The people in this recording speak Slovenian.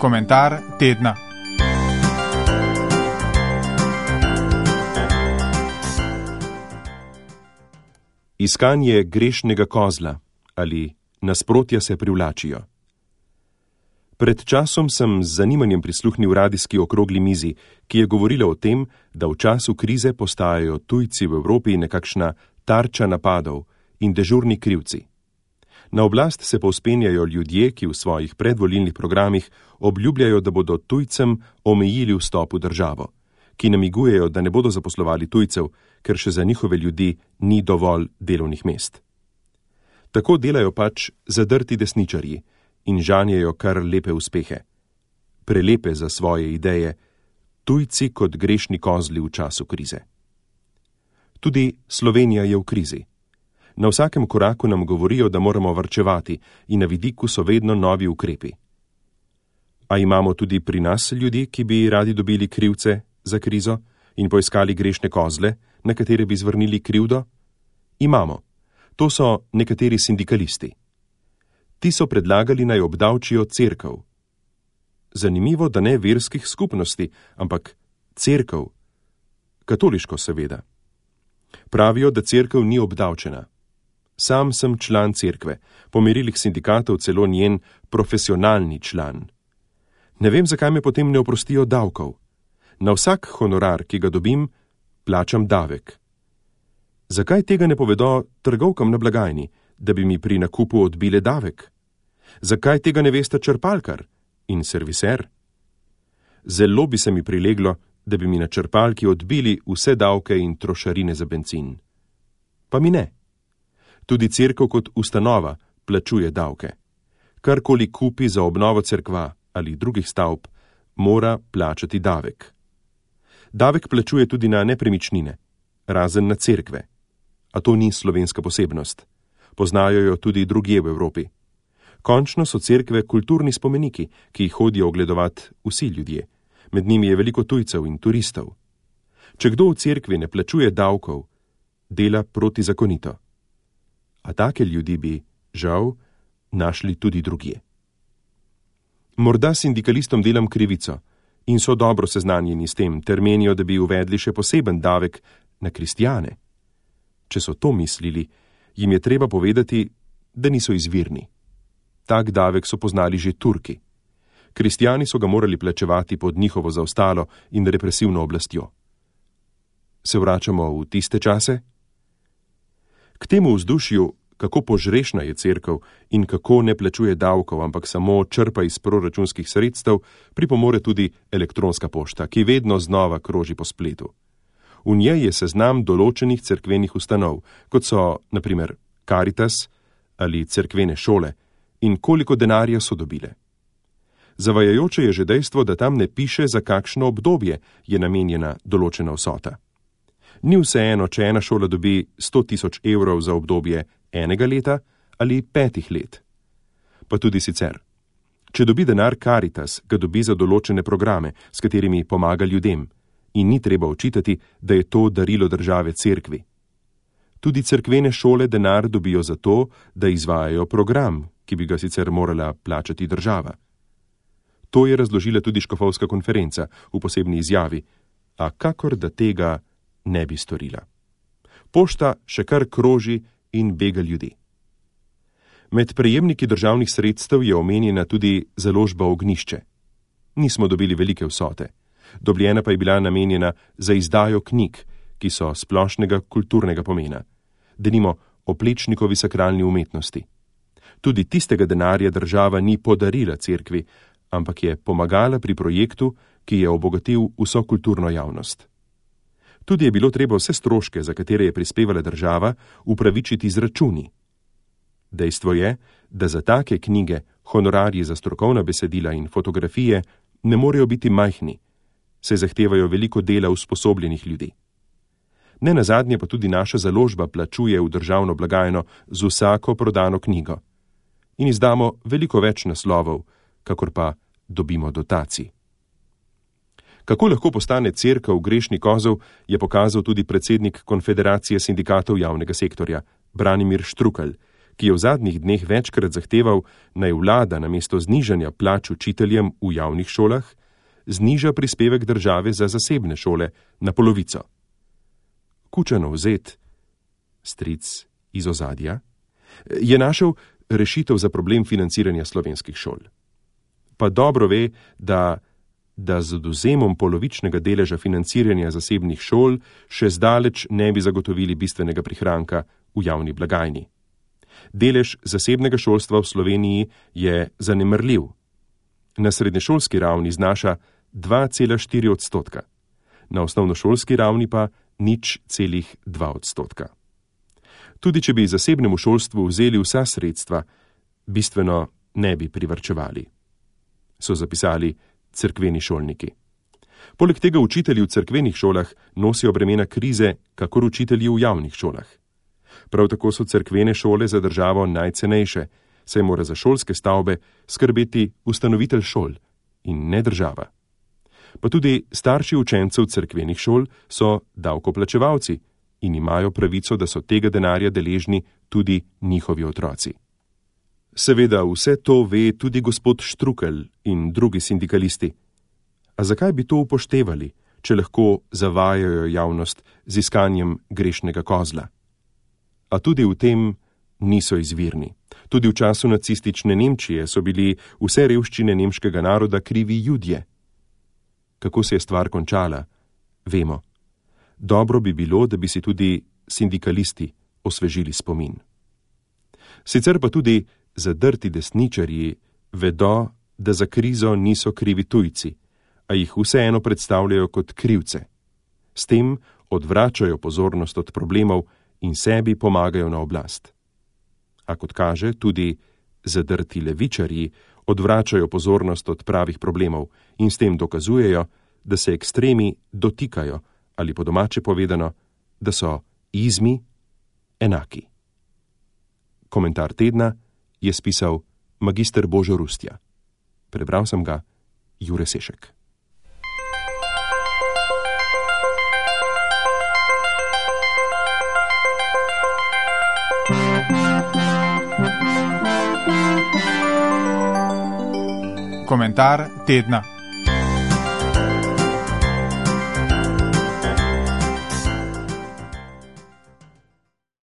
Komentar tedna. Iskanje grešnega kozla ali nasprotja se privlačijo. Pred časom sem z zanimanjem prisluhnil radijski okrogli mizi, ki je govorila o tem, da v času krize postajajo tujci v Evropi nekakšna tarča napadov in dežurni krivci. Na oblast se povzpenjajo ljudje, ki v svojih predvolilnih programih obljubljajo, da bodo tujcem omejili vstop v državo, ki namigujejo, da ne bodo zaposlovali tujcev, ker še za njihove ljudi ni dovolj delovnih mest. Tako delajo pač zadrti desničarji in žanjejo kar lepe uspehe. Prelepe za svoje ideje, tujci kot grešni kozli v času krize. Tudi Slovenija je v krizi. Na vsakem koraku nam govorijo, da moramo varčevati in na vidiku so vedno novi ukrepi. A imamo tudi pri nas ljudi, ki bi radi dobili krivce za krizo in poiskali grešne kozle, na katere bi zvrnili krivdo? Imamo. To so nekateri sindikalisti. Ti so predlagali, naj obdavčijo cerkev. Zanimivo, da ne verskih skupnosti, ampak cerkev. Katoliško seveda. Pravijo, da cerkev ni obdavčena. Sam sem član cerkve, po merilih sindikatov celo njen profesionalni član. Ne vem, zakaj me potem ne oprostijo davkov. Na vsak honorar, ki ga dobim, plačam davek. Zakaj tega ne povedo trgovkam na blagajni, da bi mi pri nakupu odbile davek? Zakaj tega ne veste črpalkar in serviser? Zelo bi se mi prileglo, da bi mi na črpalki odbili vse davke in trošarine za bencin. Pa mi ne. Tudi cerkev kot ustanova plačuje davke. Karkoli kupi za obnovo cerkva ali drugih stavb, mora plačati davek. Davek plačuje tudi na nepremičnine, razen na cerkve. A to ni slovenska posebnost. Poznajo jo tudi drugje v Evropi. Končno so cerkve kulturni spomeniki, ki jih hodijo ogledovat vsi ljudje. Med njimi je veliko tujcev in turistov. Če kdo v cerkvi ne plačuje davkov, dela protizakonito. A take ljudi bi, žal, našli tudi drugje. Morda sindikalistom delam krivico in so dobro seznanjeni s tem, ter menijo, da bi uvedli še poseben davek na kristjane. Če so to mislili, jim je treba povedati, da niso izvirni. Tak davek so poznali že Turki. Kristjani so ga morali plačevati pod njihovo zaostalo in represivno oblastjo. Se vračamo v tiste čase? K temu vzdušju, kako požrešna je cerkev in kako ne plačuje davkov, ampak samo črpa iz proračunskih sredstev, pripomore tudi elektronska pošta, ki vedno znova kroži po spletu. V njej je seznam določenih cerkvenih ustanov, kot so, na primer, Karitas ali cerkvene šole, in koliko denarja so dobile. Zavajajoče je že dejstvo, da tam ne piše, za kakšno obdobje je namenjena določena vsota. Ni vseeno, če ena šola dobi 100 000 evrov za obdobje enega leta ali 5 let. Pa tudi sicer. Če dobi denar Karitas, ga dobi za določene programe, s katerimi pomaga ljudem, in ni treba očitati, da je to darilo države cerkvi. Tudi cerkvene šole denar dobijo za to, da izvajajo program, ki bi ga sicer morala plačati država. To je razložila tudi škofovska konferenca v posebni izjavi, a kakor da tega ne bi storila. Pošta še kar kroži in bega ljudi. Med prejemniki državnih sredstev je omenjena tudi založba Ognjišče. Nismo dobili velike vsote. Dobljena pa je bila namenjena za izdajo knjig, ki so splošnega kulturnega pomena. Denimo o Plečnikovi sakralni umetnosti. Tudi tistega denarja država ni podarila cerkvi, ampak je pomagala pri projektu, ki je obogatil vso kulturno javnost. Tudi je bilo treba vse stroške, za katere je prispevala država, upravičiti z računi. Dejstvo je, da za take knjige, honorarji za strokovna besedila in fotografije ne morejo biti majhni, saj zahtevajo veliko dela usposobljenih ljudi. Nenazadnje pa tudi naša založba plačuje v državno blagajno z vsako prodano knjigo. In izdamo veliko več naslovov, kakor pa dobimo dotacij. Kako lahko postane cerkev grešni kozel, je pokazal tudi predsednik Konfederacije sindikatov javnega sektorja, Branimir Štrukelj, ki je v zadnjih dneh večkrat zahteval, naj vlada namesto znižanja plač učiteljem v javnih šolah, zniža prispevek države za zasebne šole na polovico. Kučanov zet, stric iz ozadja, je našel rešitev za problem financiranja slovenskih šol. Pa dobro ve, da z odvzemom polovičnega deleža financiranja zasebnih šol še zdaleč ne bi zagotovili bistvenega prihranka v javni blagajni. Delež zasebnega šolstva v Sloveniji je zanemarljiv. Na srednješolski ravni znaša 2,4%, na osnovnošolski ravni pa 0,2%. Tudi če bi zasebnemu šolstvu vzeli vsa sredstva, bistveno ne bi privarčevali, so zapisali cerkveni šolniki. Poleg tega učitelji v cerkvenih šolah nosijo bremena krize, kakor učitelji v javnih šolah. Prav tako so cerkvene šole za državo najcenejše, saj mora za šolske stavbe skrbeti ustanovitelj šol in ne država. Pa tudi starši učencev cerkvenih šol so davkoplačevalci in imajo pravico, da so tega denarja deležni tudi njihovi otroci. Seveda vse to ve tudi gospod Štrukelj in drugi sindikalisti. A zakaj bi to upoštevali, če lahko zavajajo javnost z iskanjem grešnega kozla? A tudi v tem niso izvirni. Tudi v času nacistične Nemčije so bili vse revščine nemškega naroda krivi Judje. Kako se je stvar končala, vemo. Dobro bi bilo, da bi si tudi sindikalisti osvežili spomin. Sicer pa tudi zadrti desničarji vedo, da za krizo niso krivi tujci, a jih vseeno predstavljajo kot krivce. S tem odvračajo pozornost od problemov in sebi pomagajo na oblast. A kot kaže, tudi zadrti levičarji odvračajo pozornost od pravih problemov in s tem dokazujejo, da se ekstremi dotikajo ali po domače povedano, da so izmi enaki. Komentar tedna je spisal magister Božo Rustja. Prebral sem ga Jure Sešek. Komentar tedna.